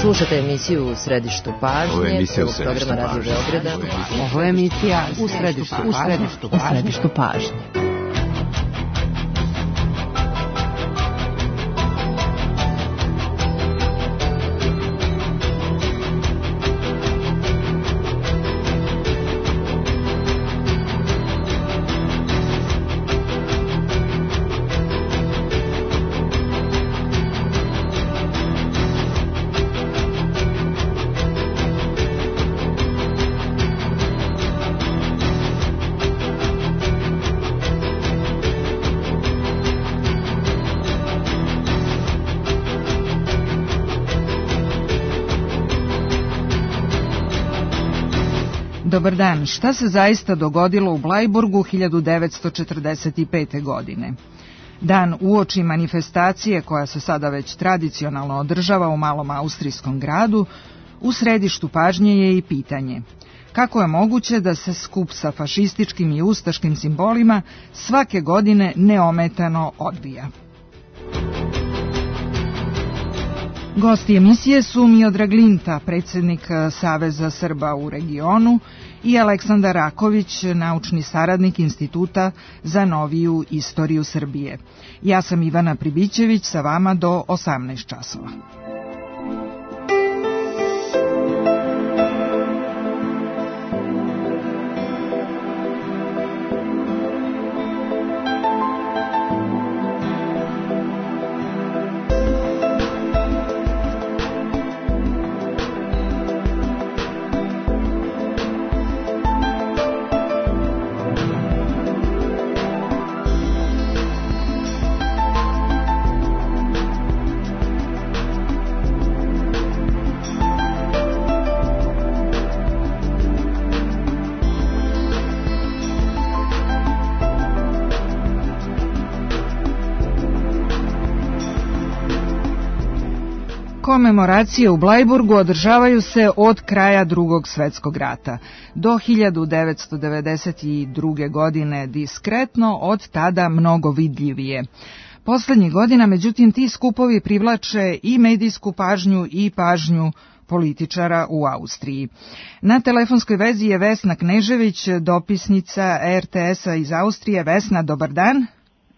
Slušate emisiju U središtu pažnje, prvog programa Radio Beograda. Ovo je emisija U središtu pažnje. Dobar dan, šta se zaista dogodilo u Blajburgu 1945. godine? Dan uoči manifestacije koja se sada već tradicionalno održava u malom austrijskom gradu, u središtu pažnje je i pitanje: kako je moguće da se skup sa fašističkim i ustaškim simbolima svake godine neometano odvija? Gosti emisije su Miodrag Linta, predsjednik Saveza Srba u regionu, i Aleksandar Raković, naučni saradnik Instituta za noviju istoriju Srbije. Ja sam Ivana Pribićević, sa vama do 18 časova. Komemoracije u Blajburgu održavaju se od kraja Drugog svjetskog rata do 1992. godine diskretno, od tada mnogo vidljivije. Posljednjih godina, međutim, ti skupovi privlače i medijsku pažnju i pažnju političara u Austriji. Na telefonskoj vezi je Vesna Knežević, dopisnica RTS-a iz Austrije. Vesna, dobar dan.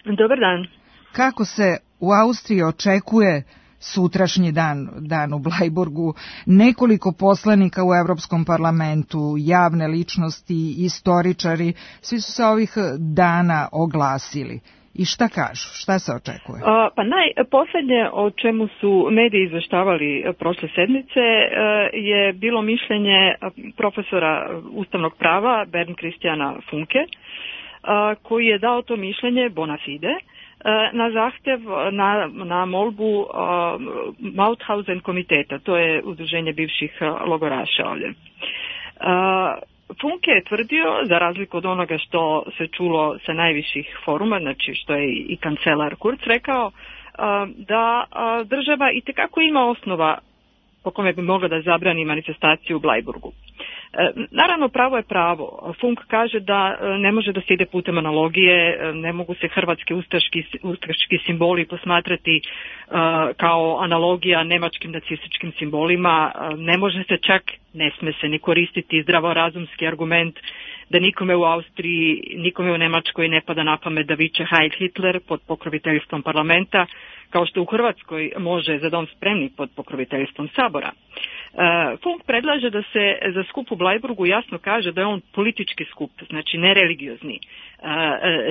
Dobar dan. Kako se u Austriji očekuje sutrašnji dan u Blajburgu? Nekoliko poslanika u Europskom parlamentu, javne ličnosti, istoričari, svi su se ovih dana oglasili. I šta kažu? Šta se očekuje? Pa najposljednje o čemu su mediji izveštavali prošle sedmice je bilo mišljenje profesora ustavnog prava Bernd Christiana Funke, koji je dao to mišljenje bona fide na zahtjev, na molbu Mauthausen komiteta, to je udruženje bivših logoraša ovdje. Funke je tvrdio, za razliku od onoga što se čulo sa najviših foruma, znači što je i kancelar Kurz rekao, da država itekako ima osnova po kome bi mogla da zabrani manifestaciju u Blajburgu. Naravno, pravo je pravo. Funk kaže da ne može da se ide putem analogije, ne mogu se hrvatski ustaški simboli posmatrati kao analogija nemačkim nacističkim simbolima, ne može se čak, ne sme se ni koristiti zdravorazumski argument da nikome u Austriji, nikome u Nemačkoj ne pada na pamet da viče Heil Hitler pod pokroviteljstvom parlamenta, kao što u Hrvatskoj može Za dom spremni pod pokroviteljstvom Sabora. Funk predlaže da se za skup u Blajburgu jasno kaže da je on politički skup, znači ne religiozni.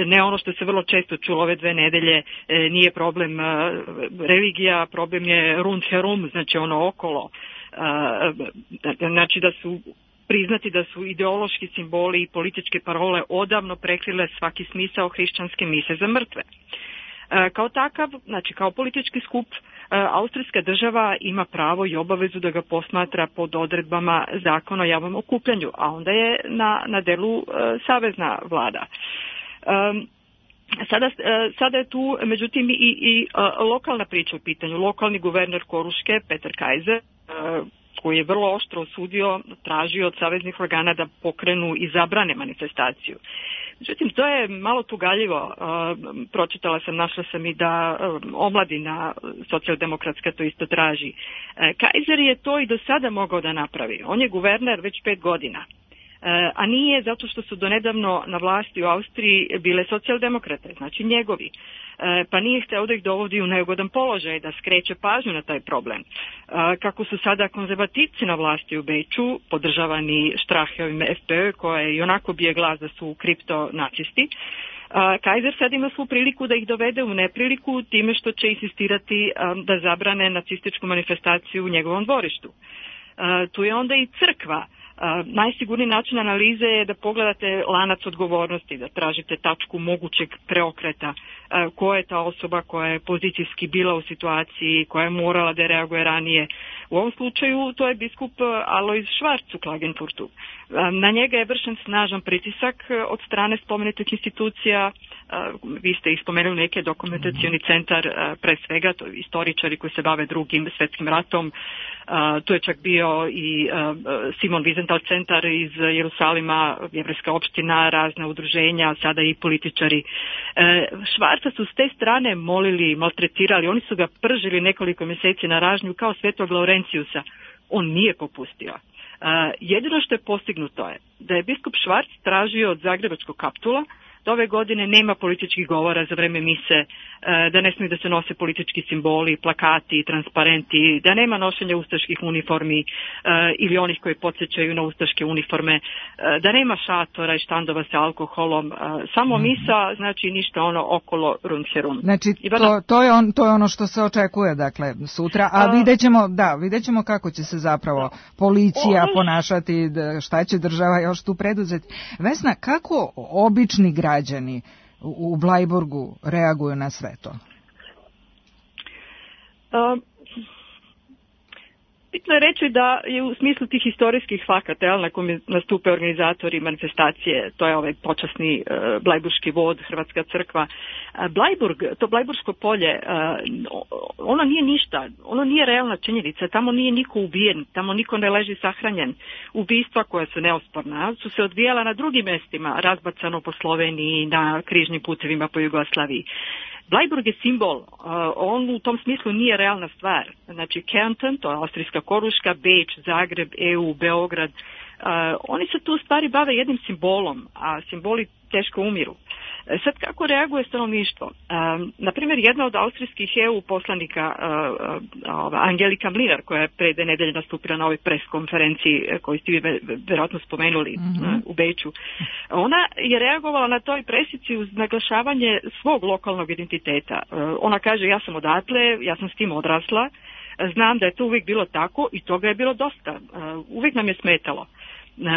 Ne ono što se vrlo često čulo ove 2 nedelje, nije problem religija, problem je rundherum, znači ono okolo. Znači da su priznati da su ideološki simboli i političke parole odavno prekrile svaki smisao hrišćanske mise za mrtve. Kao takav, znači kao politički skup, austrijska država ima pravo i obavezu da ga posmatra pod odredbama zakona o javnom okupljanju, a onda je na delu savezna vlada. Sada je tu, međutim, i lokalna priča u pitanju. Lokalni guverner Koruške, Peter Kaiser, koji je vrlo oštro osudio, tražio od saveznih organa da pokrenu i zabrane manifestaciju. Međutim, to je malo tugaljivo. Pročitala sam, našla sam i da omladina socijaldemokratska to isto traži. Kaiser je to i do sada mogao da napravi. On je guverner već 5 godina. A nije zato što su donedavno na vlasti u Austriji bile socijaldemokrate, znači njegovi. Pa nije hteo da ih dovodi u neugodan položaj, da skreće pažnju na taj problem. Kako su sada konzervativci na vlasti u Beču, podržavani Stracheovim FPÖ, koje i onako bije glas da su kriptonacisti, Kaiser sad ima svu priliku da ih dovede u nepriliku time što će insistirati da zabrane nacističku manifestaciju u njegovom dvorištu. Tu je onda i crkva. Najsigurniji način analize je da pogledate lanac odgovornosti, da tražite tačku mogućeg preokreta, ko je ta osoba koja je pozicijski bila u situaciji, koja je morala da reaguje ranije. U ovom slučaju to je biskup Alois Schwarz u Klagenfurtu. Na njega je vršen snažan pritisak od strane spomenutih institucija. Vi ste ih spomenuli, neke dokumentacioni centar, pre svega, to je istoričari koji se bave Drugim svjetskim ratom. Tu je čak bio i Simon Wiesenthal centar iz Jerusalima, jevrejska opština, razna udruženja, sada i političari. Švarca su s te strane molili, maltretirali, oni su ga pržili nekoliko mjeseci na ražnju kao Svetog Laurencijusa. On nije popustio. Jedino što je postignuto je da je biskup Schwarz tražio od Zagrebačkog kaptula da ove godine nema političkih govora za vreme mise, da ne smiju da se nose politički simboli, plakati, transparenti, da nema nošenja ustaških uniformi ili onih koji podsjećaju na ustaške uniforme, da nema šatora i štandova sa alkoholom, samo misa, znači ništa ono okolo rundherum. Znači to je ono što se očekuje, dakle, sutra, a vidjet ćemo kako će se zapravo policija ponašati, šta će država još tu preduzeti. Vesna, kako obični građani u Blajburgu reaguju na sve to? Bitno je reći da je u smislu tih historijskih fakata na kojem nastupe organizatori manifestacije, to je ovaj počasni blajburški vod, Hrvatska crkva. Blajburg, to Blajburško polje, ono nije ništa, ono nije realna činjenica, tamo nije niko ubijen, tamo niko ne leži sahranjen. Ubistva koja su neosporna su se odvijala na drugim mestima, razbacano po Sloveniji, na križnim putevima po Jugoslaviji. Blajburg je simbol, on u tom smislu nije realna stvar. Znači Kärnten, to je austrijska Koruška, Beč, Zagreb, EU, Beograd, oni se tu stvari bave jednim simbolom, a simboli teško umiru. Sad kako reaguje stanovništvo? Naprimjer, jedna od austrijskih EU poslanika, Angelika Mlinar, koja je pre 2 nedelje nastupila na ovoj pres konferenciji koju ste vjerojatno spomenuli u Beču, ona je reagovala na toj presici uz naglašavanje svog lokalnog identiteta. Ona kaže, ja sam odatle, ja sam s tim odrasla, znam da je to uvijek bilo tako i toga je bilo dosta. Uvijek nam je smetalo.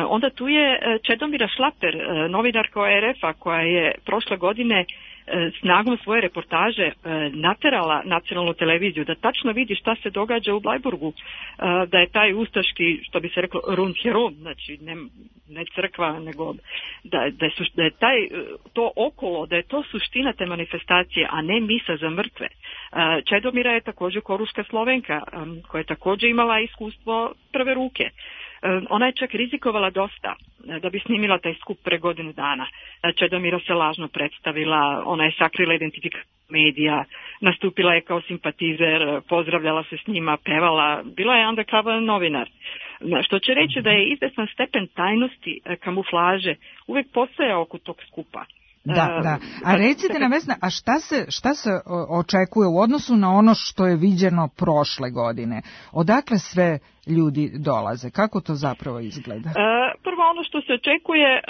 Onda tu je Čedomira Šlaper, novinarka RF-a koja je prošle godine snagom svoje reportaže naterala nacionalnu televiziju da tačno vidi šta se događa u Blajburgu, da je taj ustaški, što bi se reklo, rundherum, znači ne crkva, nego da je to okolo, da je to suština te manifestacije, a ne misa za mrtve. Čedomira je također Koruška Slovenka, koja je također imala iskustvo prve ruke. Ona je čak rizikovala dosta da bi snimila taj skup pre godinu dana. Čedomira se lažno predstavila, ona je sakrila identifikaciju medija, nastupila je kao simpatizer, pozdravljala se s njima, pevala, bila je undercover novinar. Što će reći da je izvestan stepen tajnosti, kamuflaže, uvijek postoja oko tog skupa. Da. A recite nam, Vesna, a šta se očekuje u odnosu na ono što je viđeno prošle godine? Odakle sve ljudi dolaze? Kako to zapravo izgleda? Prvo, ono što se očekuje,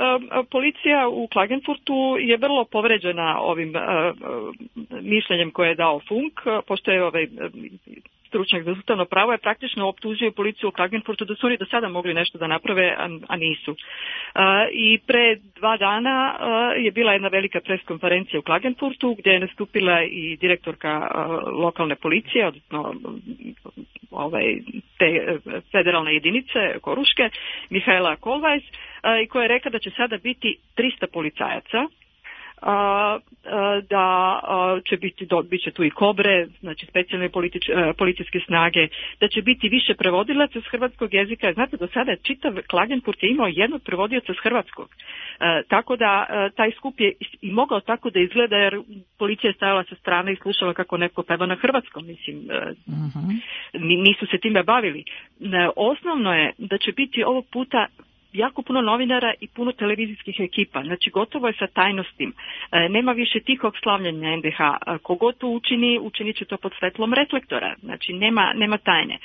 policija u Klagenfurtu je vrlo povređena ovim mišljenjem koje je dao Funk, pošto je stručnjak za ustavno pravo je praktično optužio policiju u Klagenfurtu da su oni do sada mogli nešto da naprave, a nisu. I pre 2 dana je bila jedna velika preskonferencija u Klagenfurtu gdje je nastupila i direktorka lokalne policije, odnosno te federalne jedinice Koruške, Mihaela Kolvajs, i koja je rekla da će sada biti 300 policajaca. da će bit će tu i Kobre, znači specijalne policijske snage, da će biti više prevodilaca s hrvatskog jezika. Znate, do sada čitav Klagenfurt je imao jednog prevodioca s hrvatskog. Tako da taj skup je i mogao tako da izgleda, jer policija je stajala sa strane i slušala kako neko peva na hrvatskom. Mislim, nisu se time bavili. Osnovno je da će biti ovog puta jako puno novinara i puno televizijskih ekipa. Znači, gotovo je sa tajnostim. Nema više tihog slavljenja NDH. Kogod to učinit će to pod svetlom reflektora. Znači, nema tajne.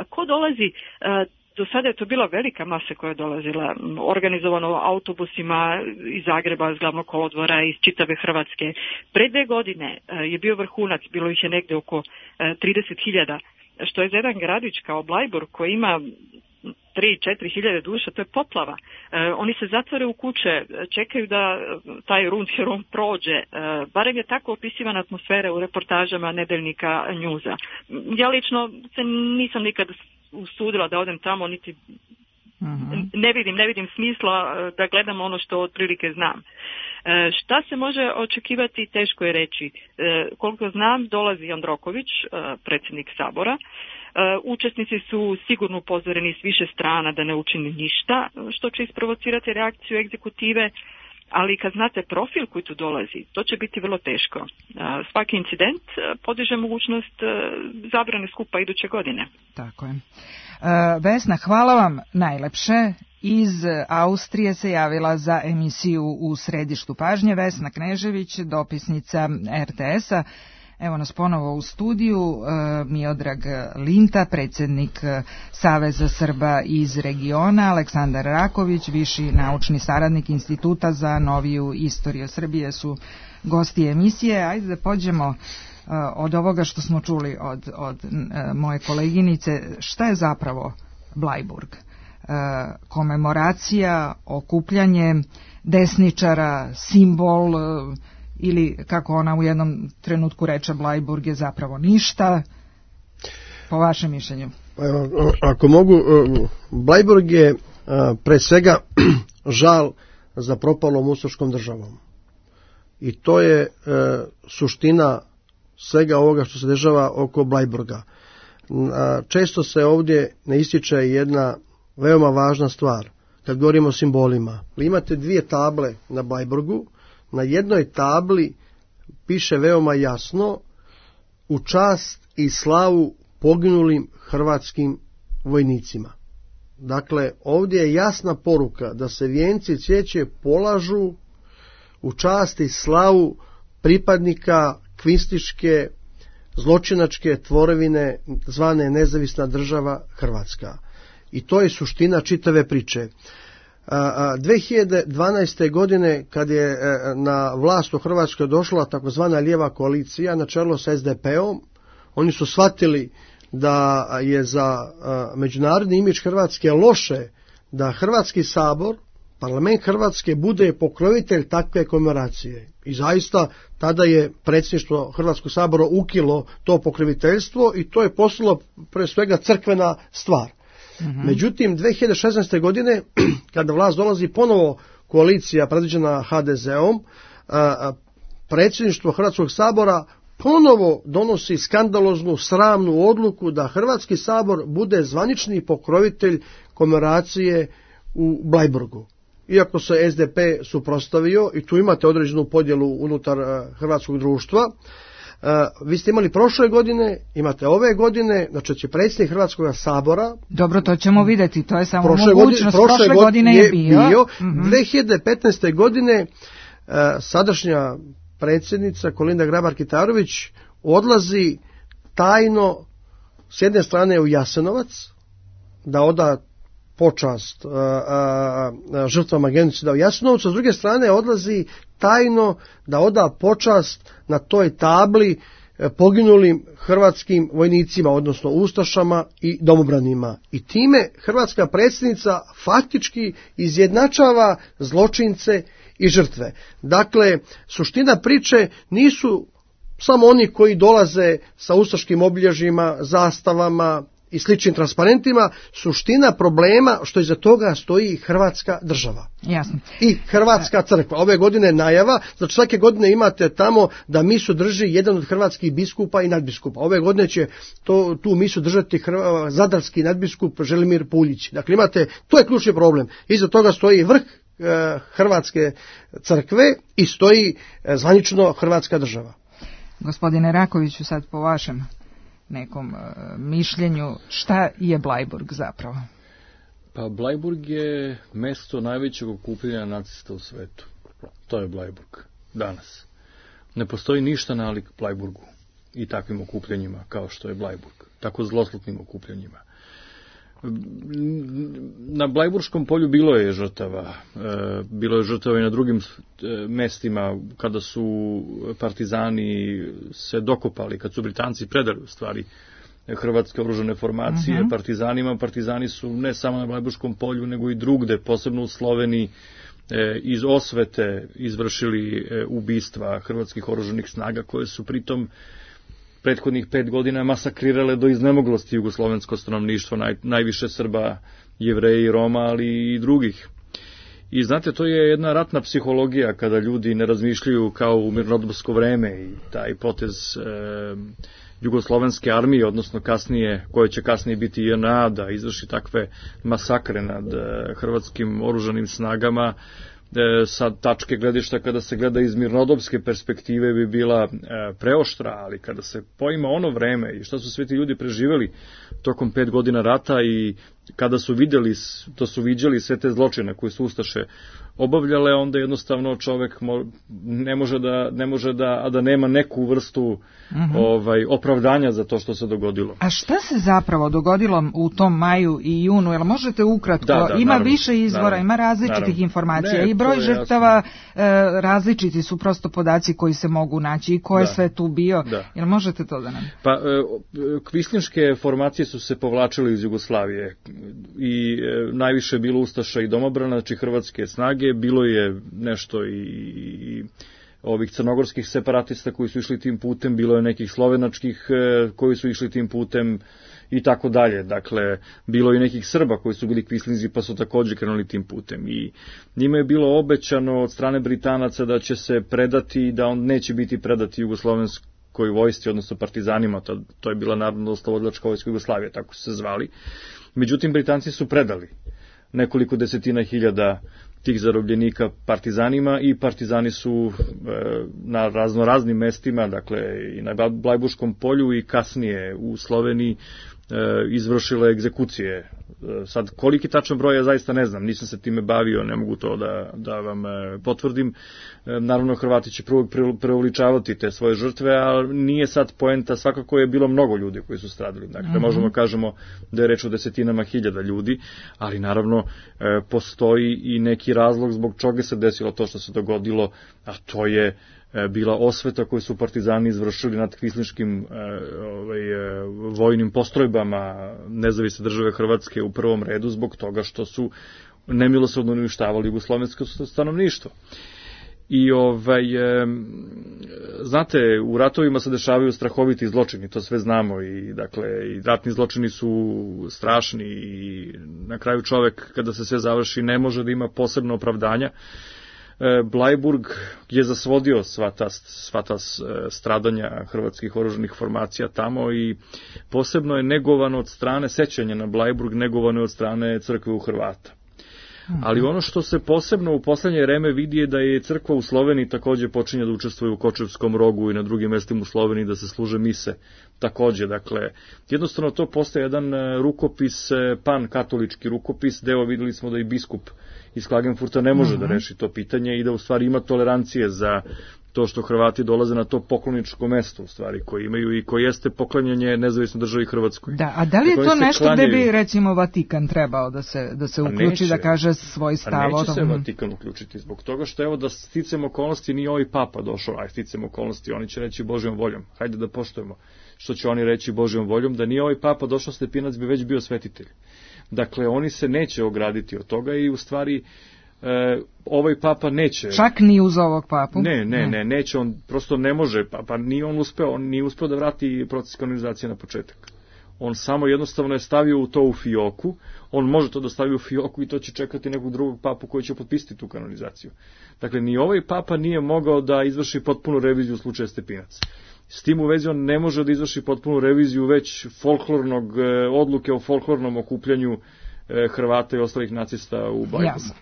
Ko dolazi... Do sada je to bila velika masa koja je dolazila, organizovano autobusima iz Zagreba, iz Glavnog kolodvora, iz čitave Hrvatske. Pre 2 godine je bio vrhunac, bilo ih je negde oko 30.000, što je za jedan gradić kao Blajburg koji ima 3-4 hiljade duša, to je poplava. Oni se zatvore u kuće, čekaju da taj Rundherum prođe. Barem je tako opisivana atmosfera u reportažama nedeljnika Njuza. Ja lično se nisam nikad usudila da odem tamo, niti ne vidim smisla da gledam ono što otprilike znam. Šta se može očekivati, teško je reći. Koliko znam, dolazi Jandroković, predsjednik Sabora. Učesnici su sigurno upozoreni s više strana da ne učini ništa što će isprovocirati reakciju egzekutive, ali kad znate profil koji tu dolazi, to će biti vrlo teško. Svaki incident podiže mogućnost zabrane skupa iduće godine. Tako je. Vesna, hvala vam najlepše. Iz Austrije se javila za emisiju U središtu pažnje Vesna Knežević, dopisnica RTS-a. Evo nas ponovo u studiju, Miodrag Linta, predsjednik Saveza Srba iz regiona, Aleksandar Raković, viši naučni saradnik Instituta za noviju istoriju Srbije su gosti emisije. Ajde da pođemo od ovoga što smo čuli od moje koleginice. Šta je zapravo Blajburg? Komemoracija, okupljanje desničara, simbol, ili kako ona u jednom trenutku reče, Blajburg je zapravo ništa, po vašem mišljenju? Ako mogu, Blajburg je pre svega žal za propalom ustaškom državom. I to je suština svega ovoga što se dešava oko Blajburga. Često se ovdje ne ističe jedna veoma važna stvar, kad govorimo o simbolima. Imate 2 table na Blajburgu. Na jednoj tabli piše veoma jasno: u čast i slavu poginulim hrvatskim vojnicima. Dakle, ovdje je jasna poruka da se vijenci cvijeće polažu u čast i slavu pripadnika kvistiške zločinačke tvorevine zvane Nezavisna država Hrvatska. I to je suština čitave priče. 2012. godine, kad je na vlast u Hrvatskoj došla takozvana lijeva koalicija na čelu sa SDP-om, oni su shvatili da je za međunarodni imidž Hrvatske loše da Hrvatski sabor, parlament Hrvatske, bude pokrovitelj takve komemoracije. I zaista tada je predsjedništvo Hrvatskog sabora ukilo to pokroviteljstvo i to je postalo pre svega crkvena stvar. Međutim, 2016. godine, kada vlast dolazi ponovo koalicija predviđena HDZ-om, predsjedništvo Hrvatskog sabora ponovo donosi skandaloznu, sramnu odluku da Hrvatski sabor bude zvanični pokrovitelj komemoracije u Blajburgu. Iako se SDP suprotstavio, i tu imate određenu podjelu unutar hrvatskog društva, vi ste imali prošle godine, imate ove godine, znači će predsjednik Hrvatskog sabora... Dobro, to ćemo vidjeti, to je samo mogućnost. Prošle godine je bio. 2015. godine sadašnja predsjednica Kolinda Grabar-Kitarović odlazi tajno s jedne strane u Jasenovac da oda počast žrtvama genocida u Jasenovcu, a s druge strane odlazi tajno da oda počast na toj tabli poginulim hrvatskim vojnicima, odnosno ustašama i domobranima. I time hrvatska predsjednica faktički izjednačava zločince i žrtve. Dakle, suština priče nisu samo oni koji dolaze sa ustaškim obilježjima, zastavama i sličnim transparentima, suština problema što iza toga stoji Hrvatska država. Jasno. I Hrvatska crkva. Ove godine najava, znači svake godine imate tamo da misu drži jedan od hrvatskih biskupa i nadbiskupa. Ove godine će tu misu držati zadarski nadbiskup Želimir Puljić. Dakle, imate, to je ključni problem. Iza toga stoji vrh Hrvatske crkve i stoji zvanično Hrvatska država. Gospodine Rakoviću, sad po vašem nekom mišljenju, šta je Blajburg zapravo? Pa Blajburg je mesto najvećeg okupljanja nacista u svetu. To je Blajburg danas. Ne postoji ništa nalik Blajburgu i takvim okupljanjima kao što je Blajburg. Tako zloslutnim okupljanjima. Na Blajburškom polju bilo je žrtava. Bilo je žrtava i na drugim mestima kada su partizani se dokopali, kad su Britanci predali u stvari hrvatske oružane formacije partizanima. Partizani su ne samo na Blajburškom polju, nego i drugde, posebno u Sloveniji, iz osvete izvršili ubistva hrvatskih oružanih snaga, koje su pritom prethodnih 5 godina masakrirale do iznemoglosti jugoslovensko stanovništvo, najviše Srba, Jevreji, Roma, ali i drugih. I znate, to je jedna ratna psihologija kada ljudi ne razmišljaju kao u mirnodopsko vreme i taj potez jugoslovenske armije, odnosno kasnije, koje će kasnije biti JNA, da izvrši takve masakre nad hrvatskim oružanim snagama, sa tačke gledišta kada se gleda iz mirnodopske perspektive bi bila preoštra, ali kada se poima ono vreme i šta su sve ti ljudi preživeli tokom 5 godina rata i kada su vidjeli, to su viđali sve te zločine koje su ustaše obavljale, onda jednostavno čovek ne može da, a da nema neku vrstu opravdanja za to što se dogodilo. A šta se zapravo dogodilo u tom maju i junu? Jel možete ukratko? Ima naravno, više izvora, naravno, ima različitih informacija i broj žrtava različiti su prosto podaci koji se mogu naći i ko je sve tu bio. Jel možete to da nam? Pa kvislinške formacije su se povlačile iz Jugoslavije i najviše je bilo ustaša i domobrana, znači hrvatske snage, bilo je nešto i ovih crnogorskih separatista koji su išli tim putem, bilo je nekih slovenačkih koji su išli tim putem i tako dalje. Dakle, bilo je nekih Srba koji su bili kvislinzi pa su također krenuli tim putem. I njima je bilo obećano od strane Britanaca da će se predati i da on neće biti predati jugoslovenskoj vojsci, odnosno partizanima. To je bila Narodnooslobodilačka vojska Jugoslavije, tako su se zvali. Međutim, Britanci su predali nekoliko desetina hiljada tih zarobljenika partizanima i partizani su na raznoraznim mestima, dakle i na Blajburškom polju i kasnije u Sloveniji izvršile egzekucije. Sad, koliki tačan broj ja zaista ne znam, nisam se time bavio, ne mogu to da vam potvrdim. Naravno, Hrvati će preuveličavati te svoje žrtve, ali nije sad poenta, svakako je bilo mnogo ljudi koji su stradali. Dakle, možemo kažemo da je reč o desetinama hiljada ljudi, ali naravno postoji i neki razlog zbog čega se desilo to što se dogodilo, a to je bila osveta koju su partizani izvršili nad kvislinškim vojnim postrojbama Nezavisne države Hrvatske u prvom redu zbog toga što su nemilosrdno uništavali jugoslovensko stanovništvo. I znate, u ratovima se dešavaju strahoviti zločini, to sve znamo i dakle i ratni zločini su strašni i na kraju čovek kada se sve završi ne može da ima posebno opravdanja. Blajburg je zasvodio sva ta stradanja hrvatskih oružanih formacija tamo i posebno je negovano od strane sećanja na Blajburg, negovano je od strane crkve u Hrvata. Ali ono što se posebno u poslednje vreme vidi je da je crkva u Sloveniji takođe počinje da učestvuje u Kočevskom rogu i na drugim mestima u Sloveniji da se služe mise takođe. Dakle, jednostavno to postaje jedan rukopis, pan-katolički rukopis, deo videli smo da i biskup iz Klagenfurta ne može da reši to pitanje i da u stvari ima tolerancije za to što Hrvati dolaze na to pokloničko mesto u stvari koje imaju i koje jeste poklanjanje nezavisnoj državi Hrvatskoj. Da, a da li je to nešto gde bi recimo Vatikan trebao da se uključi, da kaže svoj stav? Neće se Vatikan uključiti zbog toga što evo da sticam okolnosti nije ovaj papa došao, sticam okolnosti, oni će reći Božjom voljom, hajde da poštujemo što će oni reći Božjom voljom, da nije ovaj papa došao Stepinac bi već bio svetitelj. Dakle, oni se neće ograditi od toga i u stvari ovaj papa neće. Čak ni uz ovog papu? Ne, neće, on prosto ne može, pa nije on uspeo da vrati proces kanonizacije na početak. On samo jednostavno je stavio to u fioku, on može to da stavi u fioku i to će čekati nekog drugog papu koji će potpisati tu kanonizaciju. Dakle, ni ovaj papa nije mogao da izvrši potpunu reviziju u slučaju Stepinac. S tim u vezi on ne može da izvrši potpunu reviziju već odluke o folklornom okupljanju Hrvata i ostalih nacista u Blajburgu. Jasno.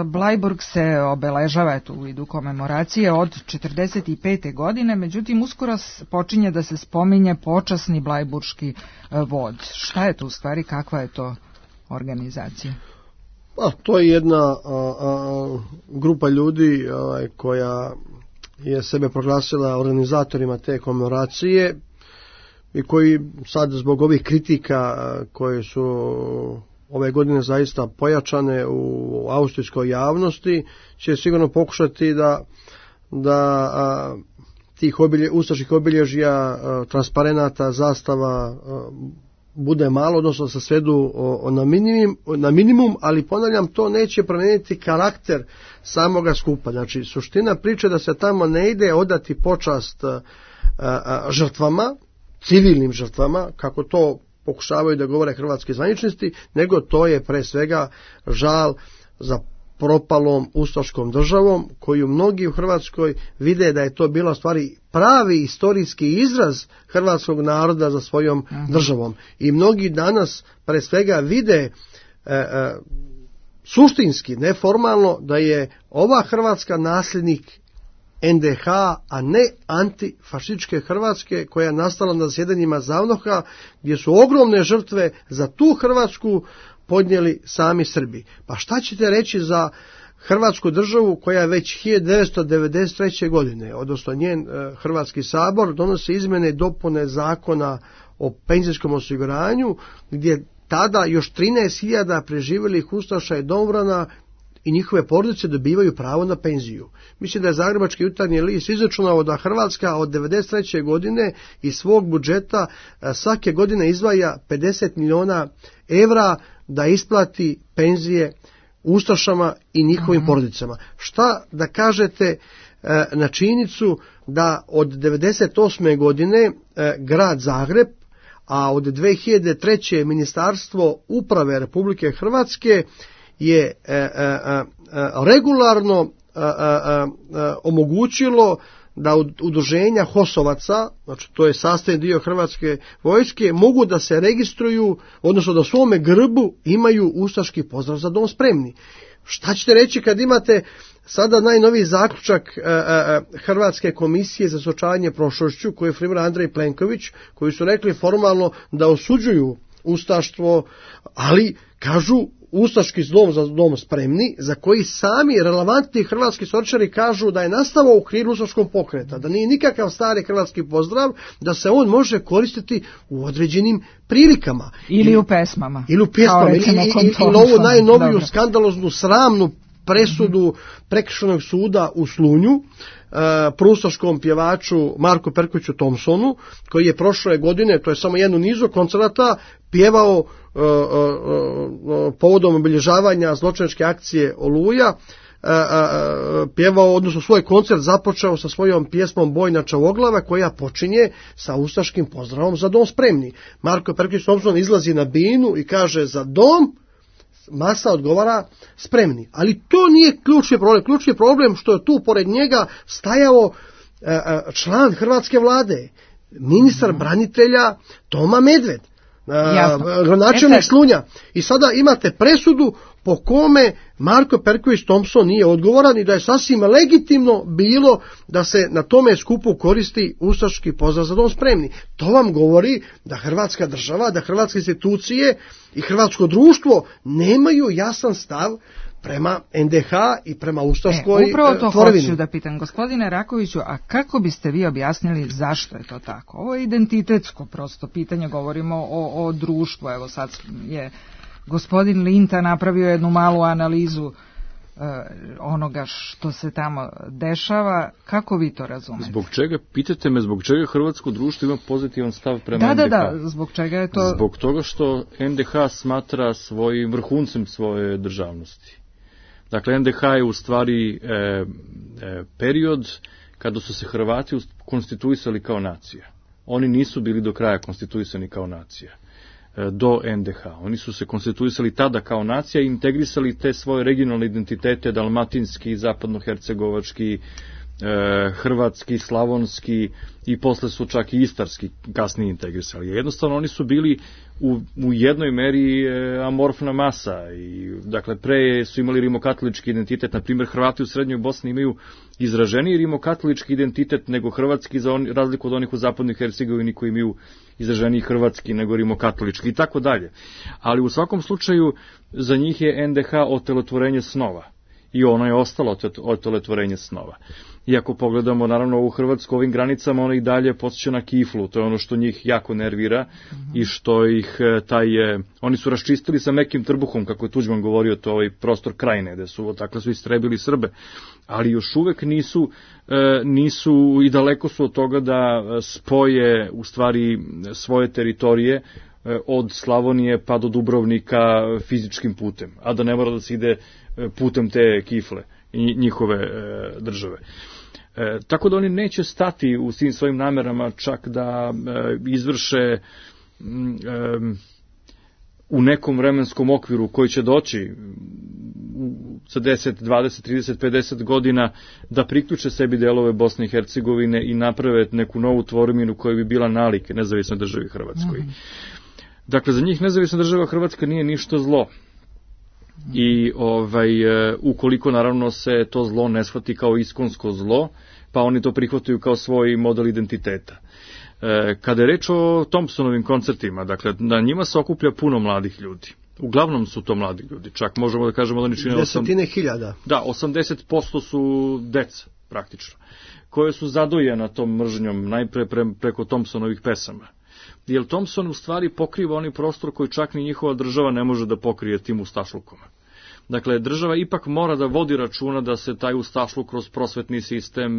Blajburg se obeležava u vidu komemoracije od 1945. godine, međutim uskoro počinje da se spominje počasni blajburški vod. Šta je to u stvari, kakva je to organizacija? To je jedna grupa ljudi koja je sebe proglasila organizatorima te komemoracije i koji sad zbog ovih kritika koje su ove godine zaista pojačane u austrijskoj javnosti će sigurno pokušati da tih ustaških obilježja, transparenata, zastava bude malo, odnosno se svedu na minimum, ali ponavljam, to neće promijeniti karakter samoga skupa. Znači, suština priče da se tamo ne ide odati počast žrtvama, civilnim žrtvama, kako to pokušavaju da govore hrvatski zvaničnici, nego to je pre svega žal za propalom ustaškom državom, koju mnogi u Hrvatskoj vide da je to bila stvari pravi istorijski izraz hrvatskog naroda za svojom državom. I mnogi danas pre svega vide suštinski, neformalno, da je ova Hrvatska nasljednik NDH, a ne antifašističke Hrvatske koja je nastala na zasjedanjima ZAVNOH-a, gdje su ogromne žrtve za tu Hrvatsku podnijeli sami Srbi. Pa šta ćete reći za Hrvatsku državu koja već 1993. godine, odnosno njen Hrvatski sabor, donosi izmjene i dopune zakona o penzijskom osiguranju, gdje tada još 13.000 preživjelih ustaša i domobrana i njihove porodice dobivaju pravo na penziju. Mislim da je Zagrebački jutarnji list izračunao da Hrvatska od 1993. godine iz svog budžeta svake godine izdvaja 50 milijuna evra da isplati penzije ustašama i njihovim porodicama. Šta da kažete na činjenicu da od 1998. godine grad Zagreb, a od 2003. Ministarstvo uprave Republike Hrvatske je regularno omogućilo da udruženja HOS-ovaca, znači to je sastavni dio Hrvatske vojske, mogu da se registruju, odnosno da u svome grbu imaju ustaški pozdrav za dom spremni. Šta ćete reći kad imate sada najnoviji zaključak Hrvatske komisije za suočavanje prošlošću, koji je formirao Andrej Plenković, koji su rekli formalno da osuđuju ustaštvo, ali kažu ustaški dom za dom spremni, za koji sami relevantni hrvatski istoričari kažu da je nastao u okviru ustaškog pokreta, da nije nikakav stari hrvatski pozdrav, da se on može koristiti u određenim prilikama. Ili u pesmama. Ili u pesmama. Ili ovu najnoviju skandaloznu, sramnu presudu Prekršajnog suda u Slunju, proustaškom pjevaču Marku Perkoviću Thompsonu, koji je prošle godine, to je samo jedno nizu koncerata, pjevao povodom obilježavanja zločinačke akcije Oluja, pjevao, odnosno svoj koncert započeo sa svojom pjesmom Bojna Čavoglava, koja počinje sa ustaškim pozdravom za dom spremni. Marko Perković Thompson izlazi na binu i kaže za dom, masa odgovara spremni. Ali to nije ključni problem. Ključni problem što je tu pored njega stajao član hrvatske vlade, ministar branitelja Toma Medved, gradonačelnik Slunja. I sada imate presudu po kome Marko Perković Thompson nije odgovoran i da je sasvim legitimno bilo da se na tome skupu koristi ustaški pozdrav za dom spremni. To vam govori da Hrvatska država, da hrvatske institucije i hrvatsko društvo nemaju jasan stav prema NDH i prema ustaškoj upravo to tvorevini. Hoću da pitam, gospodine Rakoviću, a kako biste vi objasnili zašto je to tako? Ovo je identitetsko prosto pitanje, govorimo o društvu. Evo sad je gospodin Linta napravio jednu malu analizu onoga što se tamo dešava. Kako vi to razumete? Zbog čega, pitate me, zbog čega hrvatsko društvo ima pozitivan stav prema NDH? Da, zbog čega je to? Zbog toga što NDH smatra svojim vrhuncem svoje državnosti. Dakle, NDH je u stvari period kada su se Hrvati konstituisali kao nacija. oni nisu bili do kraja konstituisani kao nacija do NDH. Oni su se konstituisali tada kao nacija i integrisali te svoje regionalne identitete, dalmatinski, zapadnohercegovački, hrvatski, slavonski i posle su čak i istarski kasnije integrisali. Jednostavno oni su bili u jednoj meri amorfna masa i dakle pre su imali rimokatolički identitet, na primjer Hrvati u Srednjoj Bosni imaju izraženiji rimokatolički identitet nego hrvatski, za razliku od onih u zapadnoj Hercegovini koji imaju izraženiji hrvatski nego rimokatolički i tako dalje. Ali u svakom slučaju za njih je NDH otelotvorenje snova i ono je ostalo otelotvorenje snova. I ako pogledamo, naravno, u Hrvatsku ovim granicama, ono i dalje podsjeća na kiflu, to je ono što njih jako nervira i što ih oni su raščistili sa mekim trbuhom, kako je Tuđman govorio, to ovaj prostor Krajine, gde su takle su istrebili Srbe, ali još uvek nisu i daleko su od toga da spoje u stvari svoje teritorije od Slavonije pa do Dubrovnika fizičkim putem, a da ne mora da se ide putem te kifle i njihove države. Tako da oni neće stati u svim svojim namerama čak da izvrše u nekom vremenskom okviru koji će doći sa 10, 20, 30, 50 godina da priključe sebi delove Bosne i Hercegovine i naprave neku novu tvorminu koja bi bila nalik nezavisnoj državi Hrvatskoj. Dakle, za njih nezavisna država Hrvatska nije ništa zlo. I ukoliko naravno se to zlo ne shvati kao iskonsko zlo, pa oni to prihvataju kao svoj model identiteta. Kada je reč o Thompsonovim koncertima, dakle, na njima se okuplja puno mladih ljudi. Uglavnom su to mladi ljudi, čak možemo da kažemo da oni čine 10.000. Da, 80% su deca, praktično, koje su zadojena tom mržnjom, najpre preko Thompsonovih pesama. Jer Thompson u stvari pokriva onaj prostor koji čak ni njihova država ne može da pokrije tim ustašlukom. Dakle, država ipak mora da vodi računa da se taj ustašluk kroz prosvetni sistem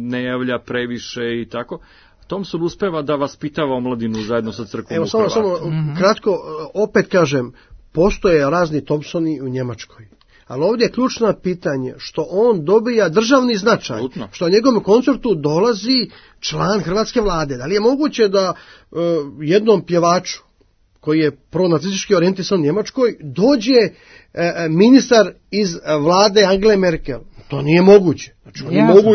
ne javlja previše i tako. Thompson uspeva da vaspitava omladinu zajedno sa crkvom u Hrvatu. Samo kratko, opet kažem, postoje razni Thompsoni u Njemačkoj. Ali ovdje je ključno pitanje što on dobija državni značaj, što na njegovom koncertu dolazi član hrvatske vlade. Da li je moguće da jednom pjevaču koji je pronacistički orijentisan u Njemačkoj dođe ministar iz vlade Angele Merkel? To nije moguće. Znači, oni mogu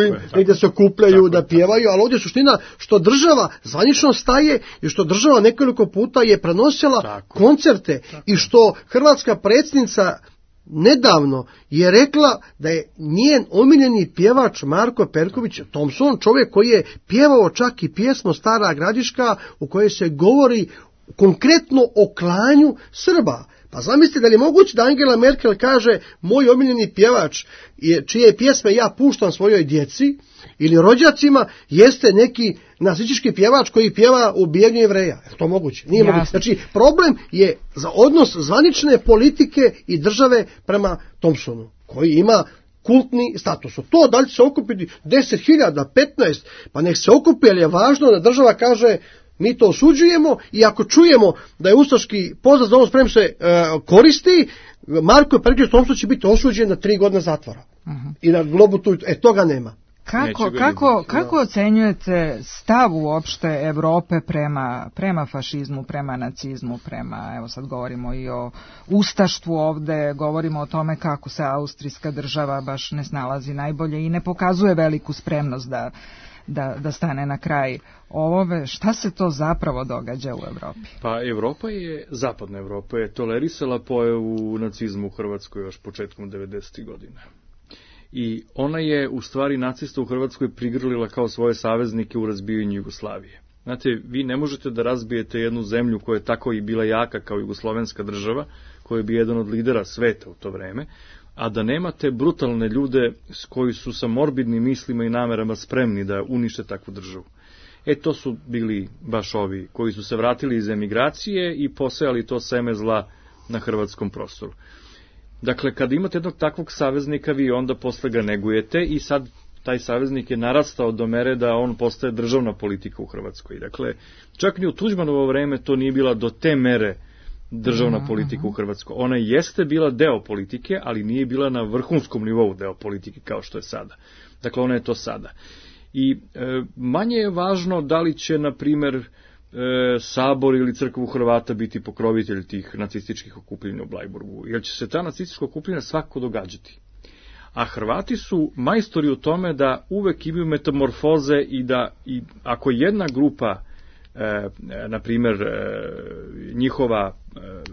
da se okupljaju, da pjevaju, ali ovdje je suština što država zvanično staje i što država nekoliko puta je prenosila koncerte i što hrvatska predsjednica nedavno je rekla da je njen omiljeni pjevač Marko Perković Thompson, čovjek koji je pjevao čak i pjesmu Stara Gradiška u kojoj se govori konkretno o klanju Srba. Pa zamislite da li je moguće da Angela Merkel kaže moj omiljeni pjevač čije pjesme ja puštam svojoj djeci ili rođacima jeste neki nacistički pjevač koji pjeva o ubijanju Jevreja. Je to moguće? Nije moguće. Znači, problem je za odnos zvanične politike i države prema Thompsonu, koji ima kultni status. To da li će se okupiti 10.000, 15, pa nek se okupi, ali je važno da država kaže mi to osuđujemo i ako čujemo da je ustaški pozdrav za ovo sprem se koristi, Marko Perković Thompson će biti osuđen na 3 godine zatvora. I na globu tu, toga nema. Kako ocenjujete stav uopšte Evrope prema fašizmu, prema nacizmu, evo sad govorimo i o ustaštvu ovde, govorimo o tome kako se austrijska država baš ne snalazi najbolje i ne pokazuje veliku spremnost da stane na kraj ovome. Šta se to zapravo događa u Evropi? Pa zapadna Evropa je tolerisala pojavu nacizmu u Hrvatskoj još početkom 90. godina. I ona je u stvari nacista u Hrvatskoj prigrlila kao svoje saveznike u razbijanju Jugoslavije. Znate, vi ne možete da razbijete jednu zemlju koja je tako i bila jaka kao jugoslovenska država, koja je bio jedan od lidera sveta u to vreme, a da nemate brutalne ljude koji su sa morbidnim mislima i namerama spremni da unište takvu državu. To su bili baš ovi koji su se vratili iz emigracije i posejali to seme zla na hrvatskom prostoru. Dakle, kad imate jednog takvog saveznika, vi onda posle ga negujete i sad taj saveznik je narastao do mere da on postaje državna politika u Hrvatskoj. Dakle, čak ni u Tuđmanovo vreme to nije bila do te mere državna politika u Hrvatskoj. Ona jeste bila deo politike, ali nije bila na vrhunskom nivou deo politike kao što je sada. Dakle, ona je to sada. I manje je važno da li će, na primer, Sabor ili Crkva Hrvata biti pokrovitelj tih nacističkih okupljenja u Blajburgu, jer će se ta nacistička okupljenja svako događati. A Hrvati su majstori u tome da uvek imaju metamorfoze i da ako jedna grupa, na primjer, njihova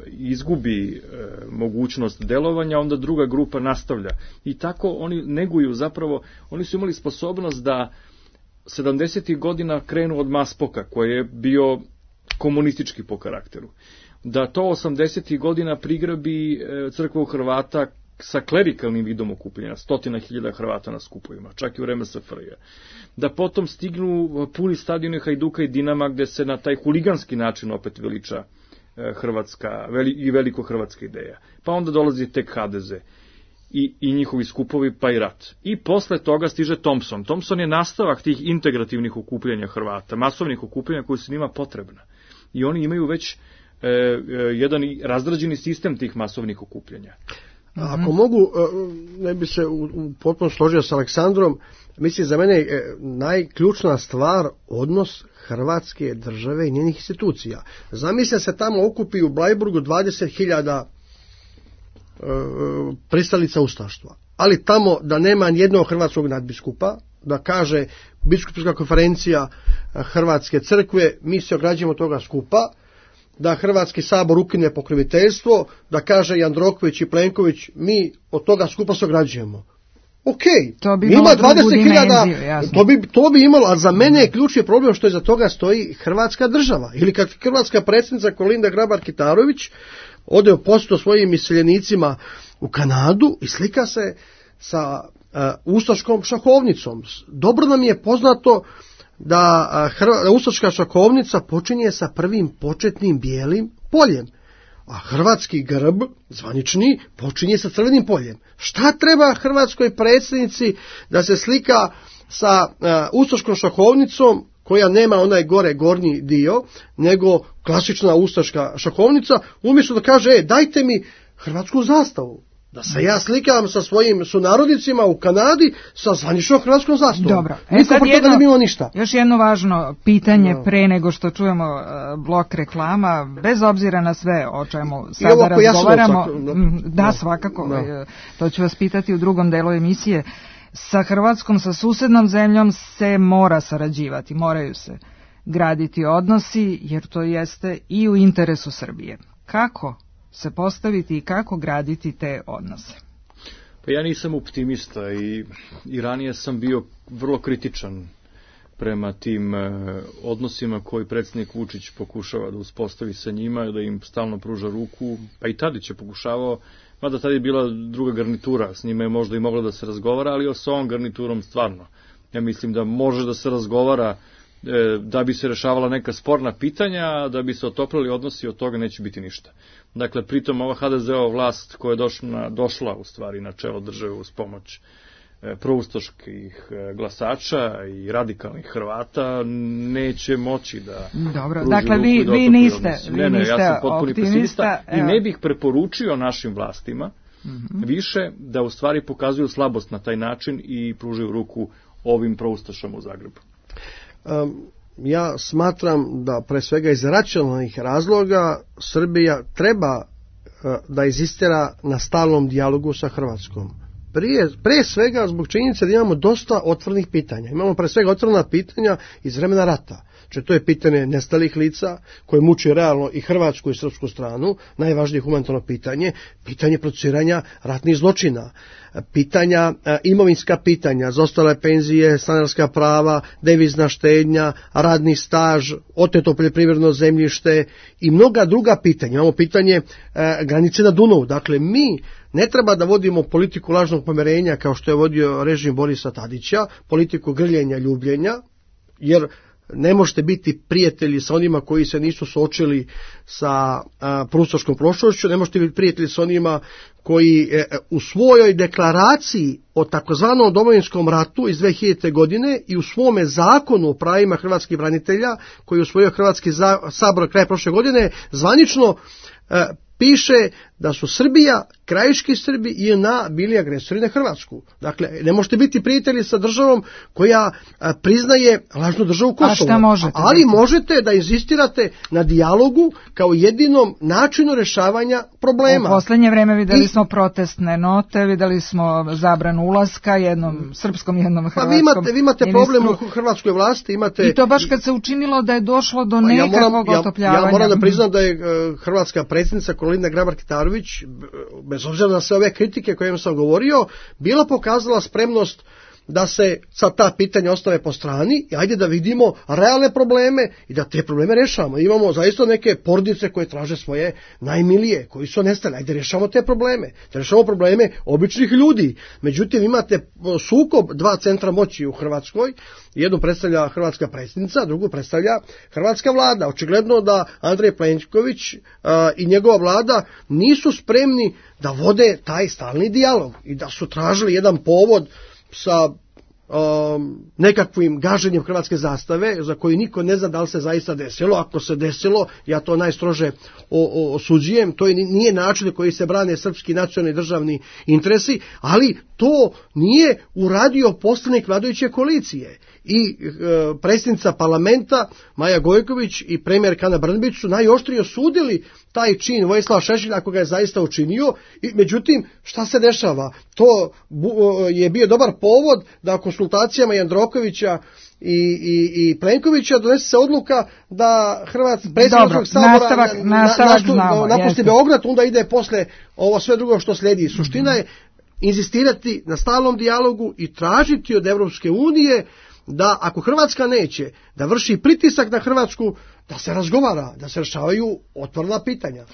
izgubi mogućnost delovanja, onda druga grupa nastavlja. I tako oni neguju, zapravo, oni su imali sposobnost da 70. godina krenu od Maspoka, koji je bio komunistički po karakteru. Da to 80. godina prigrabi Crkva Hrvata sa klerikalnim vidom okupljenja, 100.000 Hrvata na skupovima, čak i u vreme SFRJ. Da potom stignu puni stadioni Hajduka i Dinama, gde se na taj huliganski način opet veliča hrvatska i veliko hrvatska ideja. Pa onda dolazi tek HDZ i njihovi skupovi, pa i rat. I posle toga stiže Thompson. Thompson je nastavak tih integrativnih okupljanja Hrvata, masovnih okupljanja koji su njima potrebna. I oni imaju već jedan razrađeni sistem tih masovnih okupljanja. Ako mogu, ne bi se potpuno složio s Aleksandrom, mislim za mene najključna stvar odnos Hrvatske države i njenih institucija. Zamislite se tamo okupi u Blajburgu 20.000 pristalica ustaštva, ali tamo da nema nijednog hrvatskog nadbiskupa, da kaže biskupska konferencija Hrvatske crkve, mi se ograđujemo od toga skupa, da Hrvatski sabor ukine pokroviteljstvo, da kaže Jandroković i Plenković, mi od toga skupa se ograđujemo. Ok, to bi ima 20.000, to bi imalo, a za mene je ključni problem što iza toga stoji Hrvatska država. Ili kad hrvatska predsjednica Kolinda Grabar-Kitarović ode u posjetu svojim iseljenicima u Kanadu i slika se sa ustaškom šahovnicom. Dobro nam je poznato da ustaška šahovnica počinje sa prvim početnim bijelim poljem, a hrvatski grb, zvanični, počinje sa crvenim poljem. Šta treba hrvatskoj predsjednici da se slika sa ustaškom šahovnicom koja nema onaj gornji dio, nego klasična ustaška šahovnica, umjesto da kaže, dajte mi hrvatsku zastavu. Da se ja slikam sa svojim sunarodnicima u Kanadi sa zvaničnom hrvatskom zastavom. Dobro. Sad ne bi imao ništa. Još jedno važno pitanje pre nego što čujemo blok reklama, bez obzira na sve o čemu sada razgovaramo. Svakako. Da. To ću vas pitati u drugom delu emisije. Sa Hrvatskom, sa susednom zemljom se mora sarađivati, moraju se graditi odnosi, jer to jeste i u interesu Srbije. Kako se postaviti i kako graditi te odnose? Pa ja nisam optimista i ranije sam bio vrlo kritičan prema tim odnosima koji predsjednik Vučić pokušava da uspostavi sa njima, da im stalno pruža ruku, pa i Tadić je pokušavao, mada tad je bila druga garnitura, s njima je možda i moglo da se razgovara, ali s ovom garniturom stvarno. Ja mislim da može da se razgovara da bi se rešavala neka sporna pitanja, da bi se otoplili odnosi, od toga neće biti ništa. Dakle, pritom ova HDZ-ova vlast koja je došla u stvari na čelo države uz pomoć proustaških glasača i radikalnih Hrvata neće moći da dakle, vi niste ja sam potpuni pesimista i ne bih preporučio našim vlastima više da u stvari pokazuju slabost na taj način i pružaju ruku ovim proustašama u Zagrebu. Ja smatram da pre svega iz racionalnih razloga Srbija treba da inzistira na stalnom dijalogu sa Hrvatskom. Pre svega zbog činjenice da imamo dosta otvorenih pitanja. Imamo pre svega otvorena pitanja iz vremena rata. Znači, to je pitanje nestalih lica koje muči realno i hrvatsku i srpsku stranu, najvažnije humanitarno pitanje, pitanje procesuiranja ratnih zločina, pitanja, imovinska pitanja, zaostale penzije, stanarska prava, devizna štednja, radni staž, oteto poljoprivredno zemljište i mnoga druga pitanja. Imamo pitanje granice na Dunavu. Dakle, mi ne treba da vodimo politiku lažnog pomirenja kao što je vodio režim Borisa Tadića, politiku grljenja, ljubljenja, jer ne možete biti prijatelji sa onima koji se nisu suočili sa proustaškom prošlošću, ne možete biti prijatelji sa onima koji u svojoj deklaraciji o takozvanom Domovinskom ratu iz 2000. godine i u svome zakonu o pravima hrvatskih branitelja koji je usvojio Hrvatski sabor kraja prošle godine zvanično piše da su Srbija, krajiški Srbi i JNA bili agresori na Hrvatsku. Dakle, ne možete biti prijatelji sa državom koja priznaje lažnu državu Kosovo. A šta možete? Ali možete da insistirate na dijalogu kao jedinom načinu rešavanja problema. U poslednje vreme videli smo protestne note, videli smo zabranu ulaska jednom srpskom, jednom hrvatskom. Vi imate problem u hrvatskoj vlasti. I to baš kad se učinilo da je došlo do nekakvog otopljavanja. Ja moram da priznam da je hrvatska predsjednica Kolinda Grabar-Kitarović, bez obzira na sve ove kritike o kojima sam govorio, bila pokazala spremnost da se sad ta pitanja ostave po strani i ajde da vidimo realne probleme i da te probleme rešamo. Imamo zaista neke porodice koje traže svoje najmilije, koji su nestali. Ajde rešamo te probleme. Da rešamo probleme običnih ljudi. Međutim, imate sukob dva centra moći u Hrvatskoj. Jednu predstavlja hrvatska predsjednica, a drugu predstavlja hrvatska vlada. Očigledno da Andrej Plenković i njegova vlada nisu spremni da vode taj stalni dijalog i da su tražili jedan povod sa nekakvim gaženjem hrvatske zastave za koju niko ne zna da li se zaista desilo. Ako se desilo, ja to najstrože osuđujem. To nije način na koji se brane srpski nacionalni državni interesi, ali to nije uradio poslanik vladajuće koalicije. I predsjednica parlamenta Maja Gojković i premijerka Ana Brnabić su najoštrije osudili taj čin Vojislava Šešelja ako ga je zaista učinio. I međutim, šta se dešava? To je bio dobar povod da konsultacijama Jandrokovića i Plenkovića donese se odluka da predsjedničkog sabora napusti Beograd, onda ide posle ovo sve drugo što slijedi. Suština je inzistirati na stalnom dijalogu i tražiti od Evropske unije da ako Hrvatska neće da vrši pritisak na Hrvatsku, da se razgovara, da se rešavaju otvorena pitanja.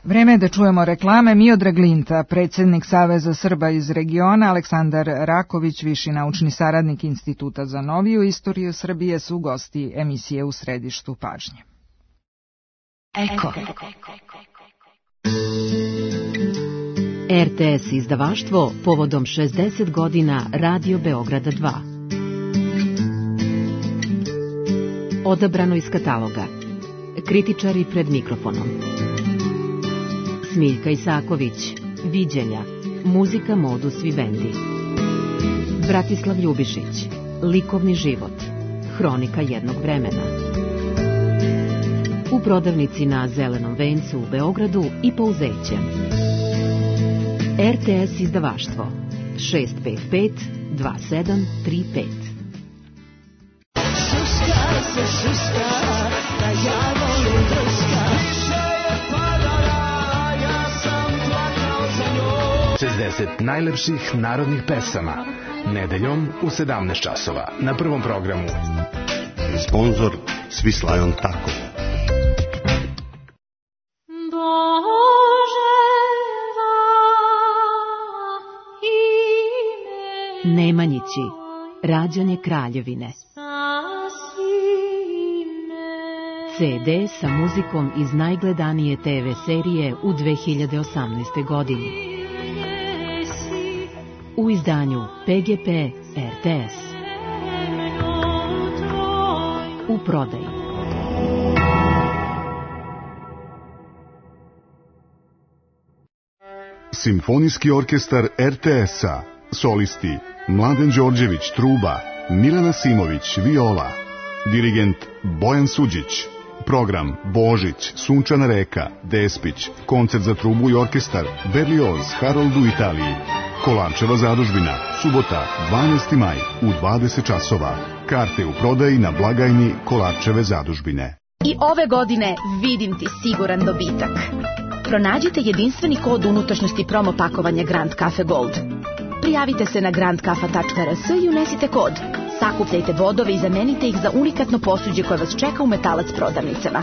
Vreme je da čujemo reklame. Miodrag Linta, predsjednik Saveza Srba iz regiona, Aleksandar Raković, viši naučni saradnik Instituta za noviju istoriju Srbije, su gosti emisije U središtu pažnje. Eko. RTS izdavaštvo povodom 60 godina Radio Beograda 2. Odabrano iz kataloga. Kritičari pred mikrofonom. Smiljka Isaković, Viđenja, muzika Modus Vivendi. Bratislav Ljubišić, Likovni život, hronika jednog vremena. U prodavnici na Zelenom vencu u Beogradu i Pouzeće. RTS izdavaštvo 655 2735. Šuška se šuška, da ja volim drška. Više je padala, ja sam plakao za njom. 60 najlepših narodnih pesama. Nedeljom u 17 časova na Prvom programu. Sponzor Svislajon Tako. Nemanjići, rađanje Kraljevine. CD sa muzikom iz najgledanije TV serije u 2018. godini. U izdanju PGP RTS. U prodaji. Simfonijski orkestar RTS-a. Solisti Mladen Đorđević, truba, Milena Simović, viola, dirigent Bojan Suđić, program Božić, Sunčana reka, Despić, koncert za trubu i orkestar, Berlioz, Harold u Italiji, Kolarčeva zadužbina, subota, 12. maj, u 20 časova. Karte u prodaji na blagajni Kolarčeve zadužbine. I ove godine vidim ti siguran dobitak. Pronađite jedinstveni kod unutrašnjosti promo pakovanja Grand Cafe Gold. Prijavite se na grandkafa.rs i unesite kod. Sakupljajte bodove i zamenite ih za unikatno posuđe koje vas čeka u Metalac prodavnicama.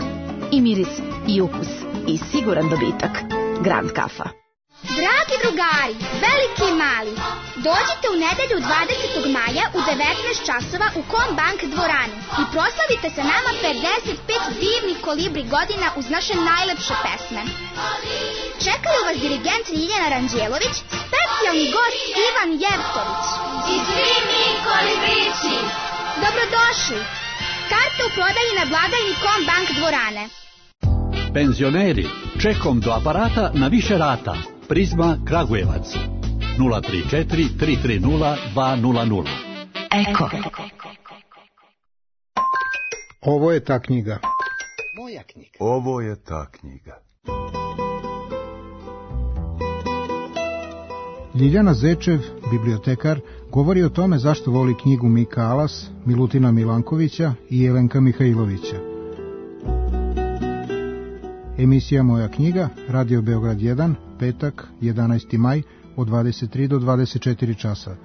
I miris, i ukus, i siguran dobitak. Grand Kafa. Dragi drugari, veliki i mali, dođite u nedelju 20. maja u 19 časova u Kombank dvoranu i proslavite sa nama 55 divnih kolibri godina uz naše najlepše pesme. Čekaju vas dirigent Ljiljana Ranđelović, specijalni gost Ivan Jevtović i svi mi kolibrići. Dobrodošli! Karte u prodaji na blagajni Kombank dvorane. Penzioneri, Šekom do aparata na više rata. Prizma Kragujevac 034 330 200. Eko. Ovo je ta knjiga. Moja knjiga. Ovo je ta knjiga. Ljiljana Zečev, bibliotekar, govori o tome zašto voli knjigu Mika Alas, Milutina Milankovića i Jelenka Mihajlovića. Emisija Moja knjiga, Radio Beograd 1, petak, 11. maj, od 23 do 24 časa.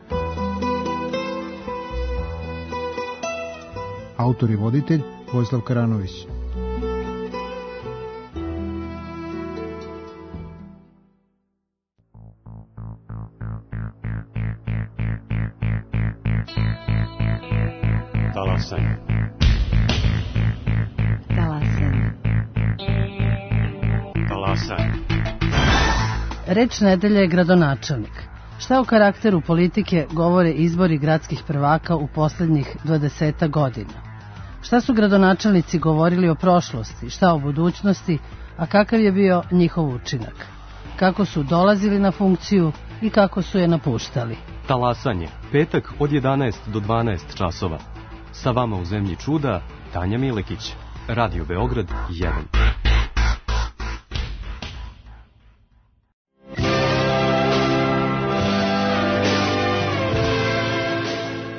Autor i voditelj Vojislav Karanović. Talasanje. Talasanje. Talasanje. Reč nedelje je gradonačelnik. Šta o karakteru politike govore izbori gradskih prvaka u poslednjih 20 godina? Šta su gradonačelnici govorili o prošlosti, šta o budućnosti, a kakav je bio njihov učinak? Kako su dolazili na funkciju i kako su je napuštali? Talasanje, petak od 11 do 12 časova. Sa vama u zemlji čuda, Tanja Milekić. Radio Beograd 1.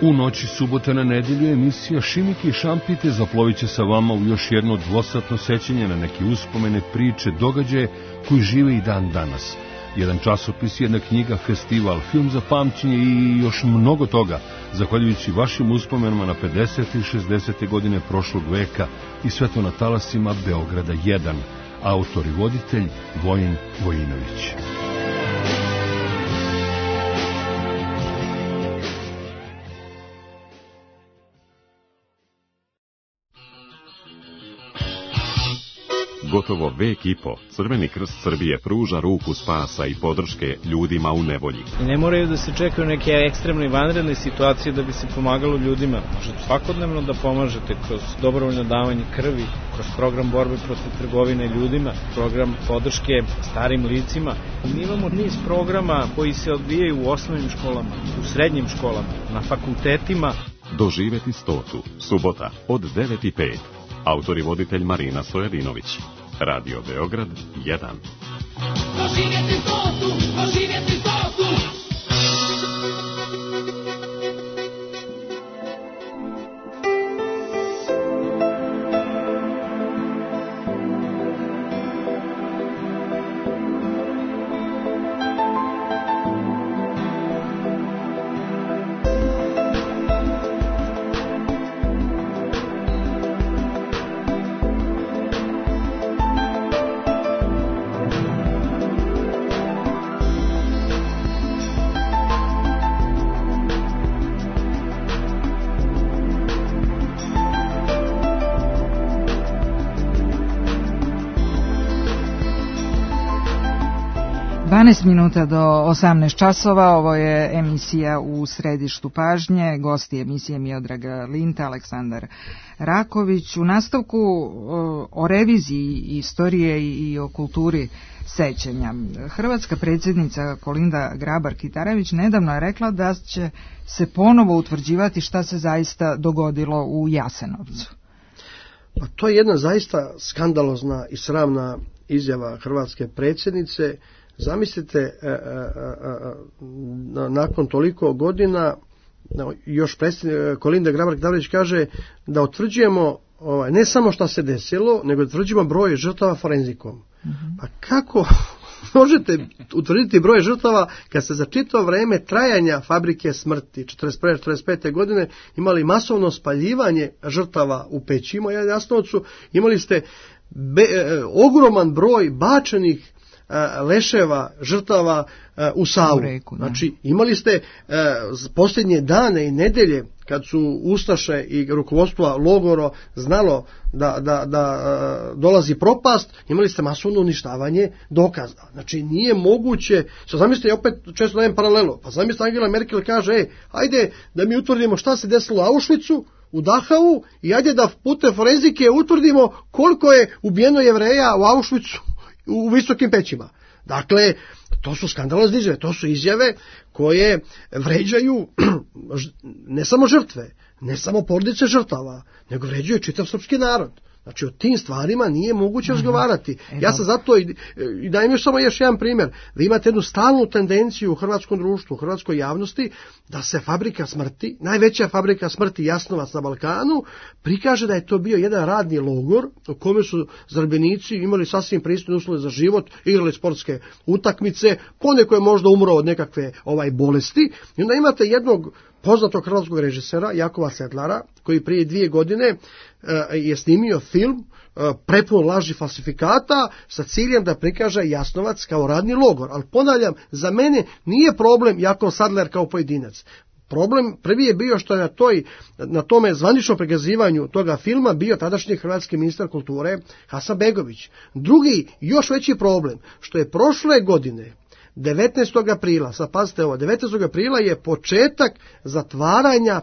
U noći subote na nedjelju emisija Šimike i šampite zaplovit će sa vama u još jedno dvosatno sećanje na neke uspomene, priče, događaje koji žive i dan danas. Jedan časopis, jedna knjiga, festival, film za pamćenje i još mnogo toga, zahvaljujući vašim uspomenama na 50. i 60. godine prošlog veka i sve to na talasima Beograda 1. Autor i voditelj Vojin Vojinović. Gotovo vek i po, Crveni krst Srbije pruža ruku spasa i podrške ljudima u nevolji. I ne moraju da se čekaju neke ekstremne i vanredne situacije da bi se pomagalo ljudima. Možete svakodnevno da pomažete kroz dobrovoljno davanje krvi, kroz program borbe protiv trgovine ljudima, program podrške starim licima. Mi imamo niz programa koji se odvijaju u osnovnim školama, u srednjim školama, na fakultetima. Doživeti 100. Subota od 9:05. Autor i voditelj Marina Sojerinović. Radio Beograd 1. Doživjeti 100, doživjeti 100. Minuta do 18 časova, ovo je emisija U središtu pažnje, gosti emisije Miodraga Linta, Aleksandar Raković. U nastavku o reviziji istorije i o kulturi sećanja. Hrvatska predsjednica Kolinda Grabar-Kitarović nedavno je rekla da će se ponovo utvrđivati šta se zaista dogodilo u Jasenovcu. Pa to je jedna zaista skandalozna i sramna izjava hrvatske predsjednice. Zamislite, nakon toliko godina, još Kolinda Grabar-Kitarović kaže da utvrđujemo ne samo šta se desilo, nego utvrđujemo broj žrtava forenzikom. Pa kako možete utvrditi broj žrtava kad ste za čitavo vreme trajanja fabrike smrti 41-45. godine imali masovno spaljivanje žrtava u pećima u Jasenovcu, imali ste ogroman broj bačenih leševa žrtava u Savu. Znači, imali ste posljednje dane i nedelje kad su ustaše i rukovodstvo logora znalo da dolazi propast, imali ste masovno uništavanje dokaza. Znači, nije moguće, zamislite, opet često dajem paralelu, pa zamislite Angela Merkel kaže, ajde da mi utvrdimo šta se desilo u Auschwitzu, u Dachau, i ajde da putem forenzike utvrdimo koliko je ubijeno Jevreja u Auschwitzu u visokim pećima. Dakle, to su skandalozne izjave, to su izjave koje vređaju ne samo žrtve, ne samo porodice žrtava, nego vređaju čitav srpski narod. Znači, o tim stvarima nije moguće razgovarati. Ja sam zato i dajem još samo jedan primjer. Vi imate jednu stalnu tendenciju u hrvatskom društvu, u hrvatskoj javnosti, da se fabrika smrti, najveća fabrika smrti Jasnovac na Balkanu, prikaže da je to bio jedan radni logor u kome su zarobljenici imali sasvim pristojne uslove za život, igrali sportske utakmice, poneko je možda umro od nekakve bolesti. I onda imate jednog poznatog hrvatskog režisera, Jakova Sedlara, koji prije 2 godine je snimio film prepun laži falsifikata sa ciljem da prikaže Jasnovac kao radni logor. Ali ponavljam, za mene nije problem Jakov Sedlar kao pojedinac. Problem prvi je bio što je na tome zvaničnom prikazivanju toga filma bio tadašnji hrvatski ministar kulture Hasanbegović. Drugi, još veći problem, što je prošle godine 19. aprila, sad pazite ovo, 19. aprila je početak zatvaranja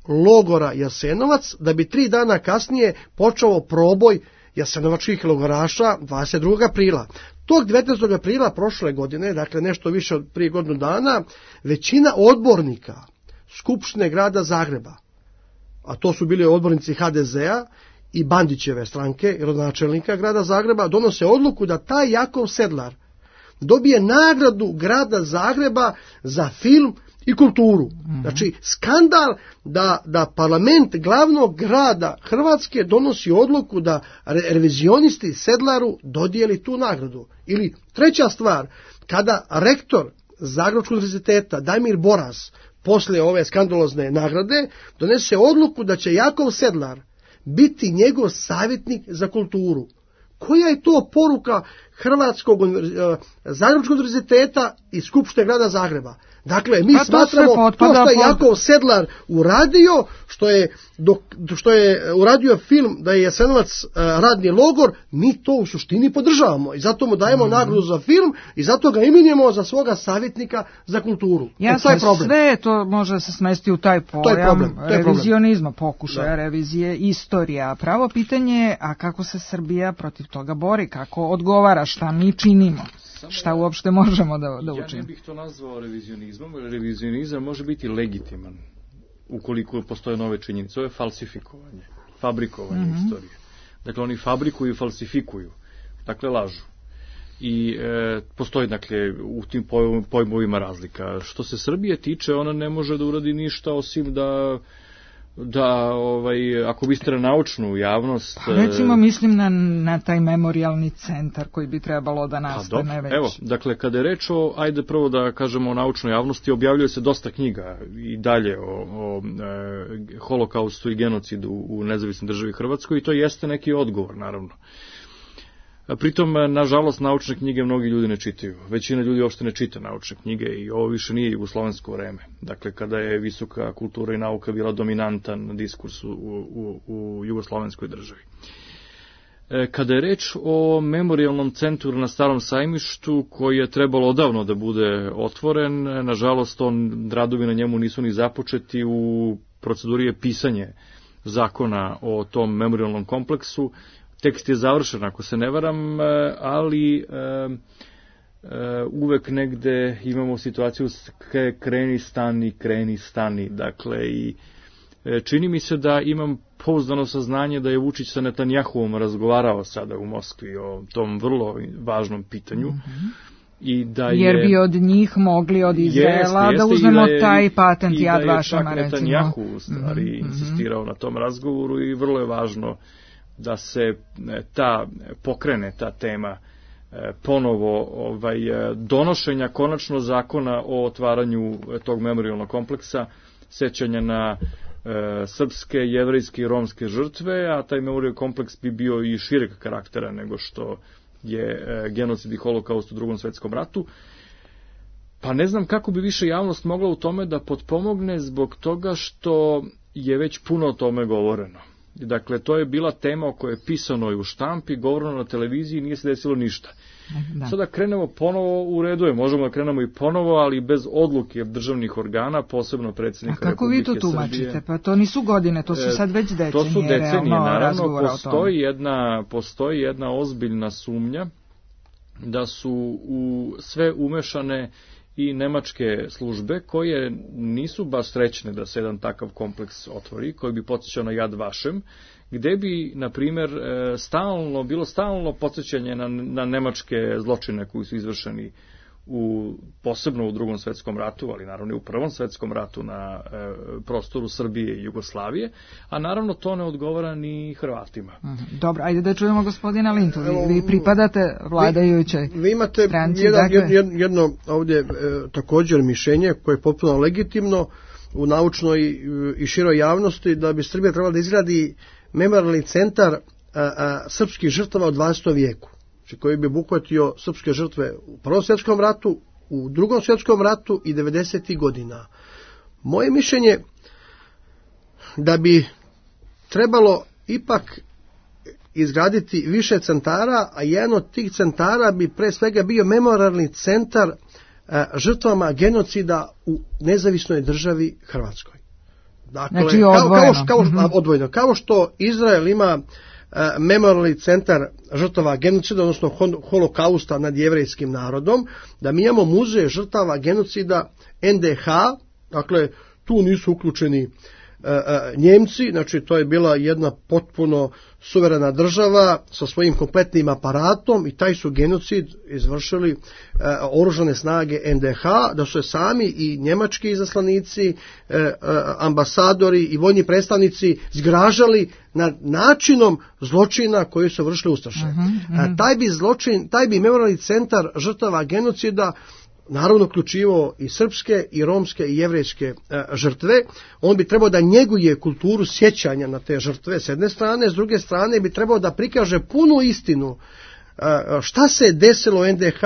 logora Jasenovac, da bi 3 dana kasnije počeo proboj jasenovačkih logoraša 22. aprila. Tog 19. aprila prošle godine, dakle nešto više od prije godinu dana, većina odbornika Skupštine grada Zagreba, a to su bili odbornici HDZ-a i Bandićeve stranke, rodonačelnika grada Zagreba, donose odluku da taj Jakov Sedlar dobije nagradu grada Zagreba za film i kulturu. Znači, skandal da parlament glavnog grada Hrvatske donosi odluku da revizionisti Sedlaru dodijeli tu nagradu. Ili treća stvar, kada rektor Zagrebačkog univerziteta Damir Boras poslije ove skandalozne nagrade donese odluku da će Jakov Sedlar biti njegov savjetnik za kulturu. Koja je to poruka Zagrebačkog univerziteta i Skupštine grada Zagreba? Dakle, mi smatramo to što je Jakov Sedlar uradio, što je uradio film da je Jasenovac radni logor, mi to u suštini podržavamo i zato mu dajemo nagradu za film i zato ga imenujemo za svoga savjetnika za kulturu. Jasno, sve to može se smesti u taj pojam revizionizma, pokušaja revizije, istorija. Pravo pitanje je, a kako se Srbija protiv toga bori, kako odgovara, šta mi činimo? Šta uopšte možemo da učinimo? Ja ne bih to nazvao revizionizmom, jer revizionizam može biti legitiman ukoliko postoje nove činjenice. Ovo je falsifikovanje, fabrikovanje istorije. Dakle, oni fabrikuju i falsifikuju, dakle lažu. I postoji, dakle, u tim pojmovima razlika. Što se Srbije tiče, ona ne može da uradi ništa osim da ako biste na naučnu javnost... Pa recimo mislim na taj memorialni centar koji bi trebalo da nastane već. Evo, dakle, kada je reč o, ajde prvo da kažemo o naučnoj javnosti, objavljuje se dosta knjiga i dalje o holokaustu i genocidu u nezavisnoj državi Hrvatskoj i to jeste neki odgovor, naravno. Pritom, nažalost, naučne knjige mnogi ljudi ne čitaju. Većina ljudi uopšte ne čita naučne knjige i ovo više nije jugoslovensko vreme. Dakle, kada je visoka kultura i nauka bila dominantan diskurs u jugoslovenskoj državi. Kada je reč o memorialnom centru na Starom Sajmištu, koji je trebalo odavno da bude otvoren, nažalost, radovi na njemu nisu ni započeti. U proceduri je pisanje zakona o tom memorialnom kompleksu. Tekst je završen, ako se ne varam, ali uvek negde imamo situaciju kreni stani. Dakle, i čini mi se da imam pouzdano saznanje da je Vučić sa Netanjahuom razgovarao sada u Moskvi o tom vrlo važnom pitanju. I da je, jer bi od njih mogli od Izraela da uzmemo taj patent Yad Vašema, recimo. I da je čak Netanjahu u stvari insistirao na tom razgovoru i vrlo je važno da se pokrene ta tema ponovo donošenja konačno zakona o otvaranju tog memorialnog kompleksa, sećanja na srpske, jevrejske i romske žrtve, a taj memorialni kompleks bi bio i šireg karaktera nego što je genocid i holokaust u Drugom svetskom ratu. Pa ne znam kako bi više javnost mogla u tome da potpomogne zbog toga što je već puno o tome govoreno. Dakle, to je bila tema o kojoj je pisano i u štampi, govoreno na televiziji, nije se desilo ništa. Da. Sada krenemo ponovo, u redu je, možemo da krenemo i ponovo, ali bez odluke državnih organa, posebno predsjednika Republike Srbije. A kako vi to tumačite? Pa to nisu godine, to su sad već decenije. To su decenije, naravno, postoji jedna ozbiljna sumnja da su u sve umešane i nemačke službe koje nisu baš srećne da se jedan takav kompleks otvori, koji bi podsjećao na Yad Vashem, gde bi, na primjer, bilo stalno podsjećanje na nemačke zločine koji su izvršeni posebno u Drugom svetskom ratu, ali naravno i u Prvom svetskom ratu na prostoru Srbije i Jugoslavije, a naravno to ne odgovara ni Hrvatima. Dobro, ajde da čujemo gospodina Lintu. Vi pripadate vladajućoj vi imate stranci, jedno ovdje također mišljenje koje je potpuno legitimno u naučnoj i široj javnosti, da bi Srbija trebala da izgradi memorijalni centar srpskih žrtava u 20. vijeku, koji bi obuhvatio srpske žrtve u Prvom svjetskom ratu, u Drugom svjetskom ratu i 90. godina. Moje mišljenje da bi trebalo ipak izgraditi više centara, a jedan od tih centara bi pre svega bio memorijalni centar žrtvama genocida u nezavisnoj državi Hrvatskoj. Dakle, znači odvojeno. Kao što Izrael ima memorijalni centar žrtava genocida, odnosno holokausta nad jevrejskim narodom, da mi imamo muzej žrtava genocida NDH, dakle tu nisu uključeni Njemci, znači to je bila jedna potpuno suverena država sa svojim kompletnim aparatom i taj su genocid izvršili oružane snage NDH, da su sami i njemački izaslanici, ambasadori i vojni predstavnici zgražali nad načinom zločina koji su vršili ustaše. Taj bi memorijalni centar žrtava genocida naravno uključivao i srpske, i romske, i jevrejske žrtve. On bi trebao da njeguje kulturu sjećanja na te žrtve s jedne strane, s druge strane bi trebao da prikaže punu istinu šta se desilo u NDH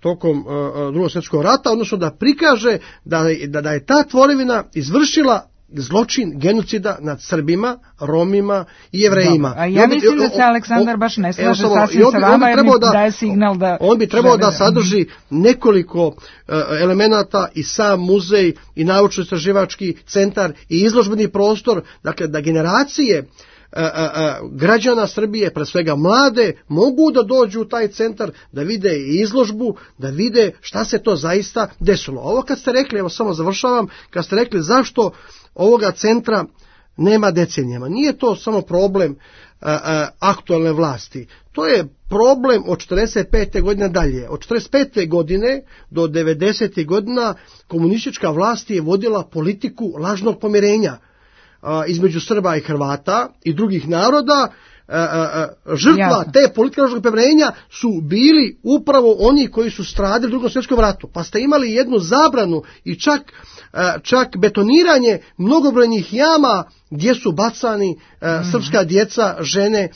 tokom Drugog svjetskog rata, odnosno da prikaže da je ta tvorevina izvršila zločin genocida nad Srbima, Romima i Jevrejima. A ja mislim da se Aleksandar baš ne slaže sasvim sa vama, jer mi daje signal da... On bi trebao da sadrži nekoliko elemenata, i sam muzej, i naučno-istraživački centar, i izložbeni prostor, dakle da generacije građana Srbije, pre svega mlade, mogu da dođu u taj centar, da vide izložbu, da vide šta se to zaista desilo. Ovo kad ste rekli, evo samo završavam, kad ste rekli zašto ovoga centra nema decenijama, nije to samo problem aktualne vlasti, to je problem od 45. godine dalje. Od 45. godine do 90. godina komunistička vlast je vodila politiku lažnog pomirenja između Srba i Hrvata i drugih naroda. Žrtva te politike lažnog pomirenja su bili upravo oni koji su stradali u Drugom svjetskom ratu. Pa ste imali jednu zabranu i čak betoniranje mnogobrojnih jama gdje su bacani srpska djeca, žene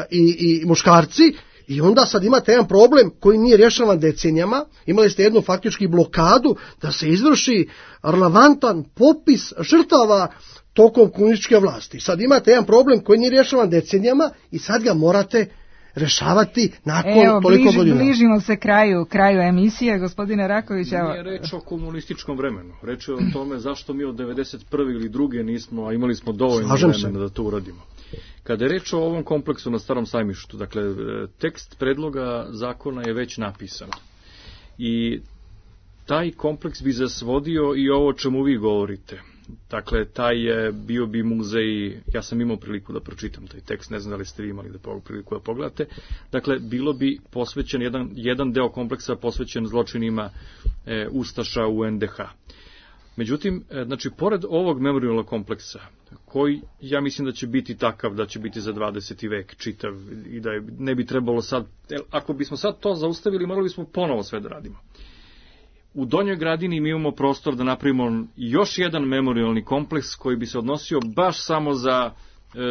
i muškarci. I onda sad imate jedan problem koji nije rješavan decenijama. Imali ste jednu faktički blokadu da se izvrši relevantan popis žrtava tokom komunističke vlasti. Sad imate jedan problem koji nije rješavan decenijama i sad ga morate rješavati nakon toliko godina. Bližimo se kraju emisije, gospodine Raković. Nije reč o komunističkom vremenu. Reč je o tome zašto mi od 91. ili druge nismo, a imali smo dovoljno vremena da to uradimo. Kada je reč o ovom kompleksu na Starom Sajmištu, dakle, tekst predloga zakona je već napisan. I taj kompleks bi zasvodio i ovo o čemu vi govorite. Dakle, bio bi muzej, ja sam imao priliku da pročitam taj tekst, ne znam da li ste vi imali priliku da pogledate. Dakle, bilo bi posvećen, jedan deo kompleksa posvećen zločinima ustaša u NDH. Međutim, znači, pored ovog memorijalnog kompleksa, koji ja mislim da će biti takav, da će biti za 20. vek čitav i da ne bi trebalo sad, ako bismo sad to zaustavili, morali bismo ponovo sve da radimo. U Donjoj Gradini mi imamo prostor da napravimo još jedan memorijalni kompleks koji bi se odnosio baš samo za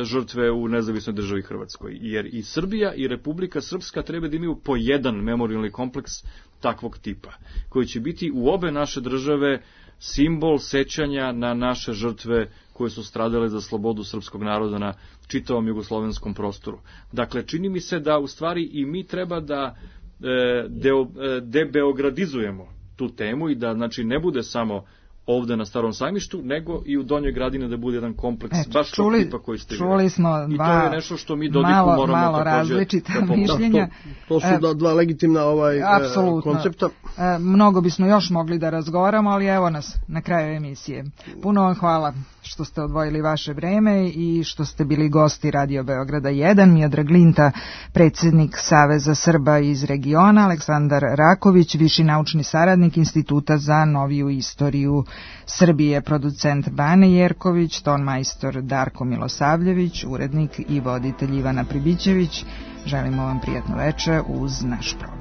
žrtve u nezavisnoj državi Hrvatskoj. Jer i Srbija i Republika Srpska treba da imaju po jedan memorijalni kompleks takvog tipa, koji će biti u obe naše države simbol sećanja na naše žrtve koje su stradale za slobodu srpskog naroda na čitavom jugoslovenskom prostoru. Dakle, čini mi se da u stvari i mi treba da debeogradizujemo tu temu i da, znači, ne bude samo ovde na Starom sajmištu, nego i u Donjoj Gradini da bude jedan kompleks, baš tog tipa koji ste čuli smo i to je nešto što mi Dodiku moramo malo različita mišljenja. To su dva legitimna koncepta. Mnogo bismo još mogli da razgovaramo, ali evo nas na kraju emisije. Puno vam hvala što ste odvojili vaše vreme i što ste bili gosti Radio Beograda 1. Miodrag Linta, predsjednik Saveza Srba iz regiona, Aleksandar Raković, viši naučni saradnik Instituta za noviju istoriju Srbije, producent Bane Jerković, ton majstor Darko Milosavljević, urednik i voditelj Ivana Pribićević. Želimo vam prijatno veče uz naš program.